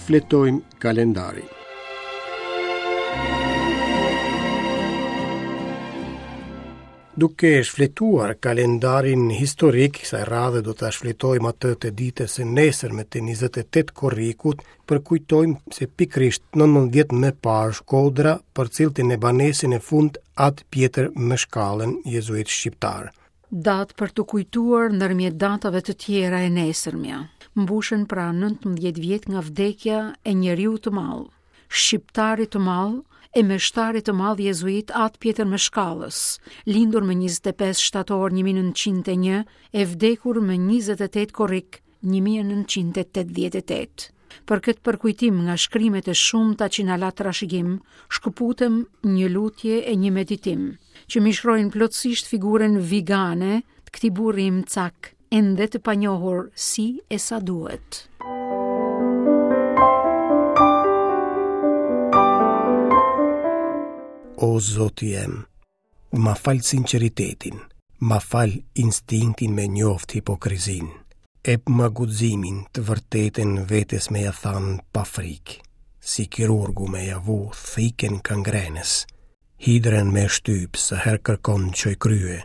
Shfletojmë kalendarin. Duke shfletuar kalendarin historik, kësaj radhe do ta shfletojmë atë të ditës së nesërme të 28 korrikut, përkujtojmë se pikërisht 19 vjet më parë Shkodra përcillte në banesën e fundit At Pjetër Mëshkallën, jezuit shqiptar. Datë për t'u kujtuar ndërmjet datave të tjera e nesërmja. Mbushen pra 19 vjet nga vdekja e njeriut të madh. shqiptarit të madh e meshtarit të madh jezuit At Pjetër Mëshkallës, lindur më 25 shtator 1901 e vdekur më 28 korrik 1988. Për këtë përkujtim nga shkrimet e shumta që na la trashëgim, shkëputem një lutje e një meditim, që mishrojnë plotësisht figurën vigane të këtij burri imcak, ende të panjohur si e sa duhet. O Zoti jem, ma fal sinqeritetin, ma fal instinktin me njoft hipokrizinë. Epma guximin të vërtetën vetes me ja thanë pa frikë, si kirurgu me ja vu thikën kangrenës, hidrën me shtyp sa herë kërkon çoj krye,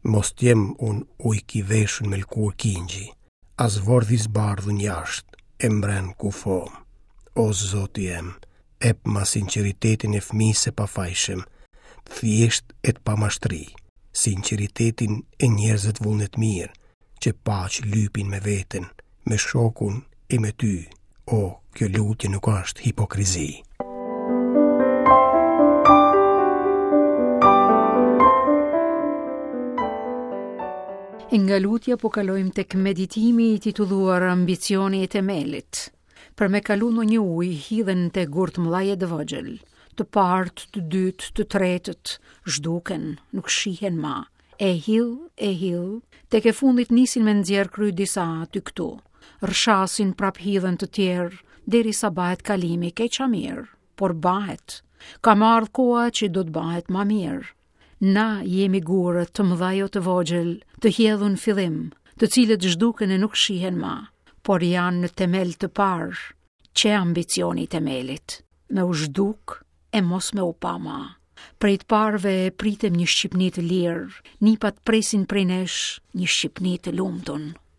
Mos t'jem unë ujk i veshun me lkurë kingji, as vordh i zbardhun jashtë e mbren kufomë. O Zoti jem, epma sinqeritetin e fëmijës së pafajshëm, të thjeshtë e të pamashtri, sinqeritetin e njerëzve vullnetmirë, që paqe lypin me veten, me shokun e me ty. O, kjo lutje nuk është hipokrizi. E nga lutja po kalojmë tek meditimi i titulluar Ambicioni i themelit. Për me kalu ndonjë ujë hidhen në te gurë të mëdhaj e të vogjël. Të parët, të dytë, të tretët, zhduken, nuk shihen ma. E hidh, e hidh, tek e fundit nisin me nxjerr kry disa aty këtu. Rrëshasin prap hidhen të tjerë, derisa bahet kalimi keq a mirë, por bahet. Ka me ardhë koha që do të bahet ma mirë. Na jemi gurët të mëdhaj o të vogjël, të hjedhun n'fillim, të cilët zhduken e nuk shihen ma, por janë në temel të parë, qe ambicioni i temelit, me u zhduk e mos me u pa ma. Prej të parëve e pritem një Shqipni të lirë, nipat presin prej nesh një Shqipni të lumtun.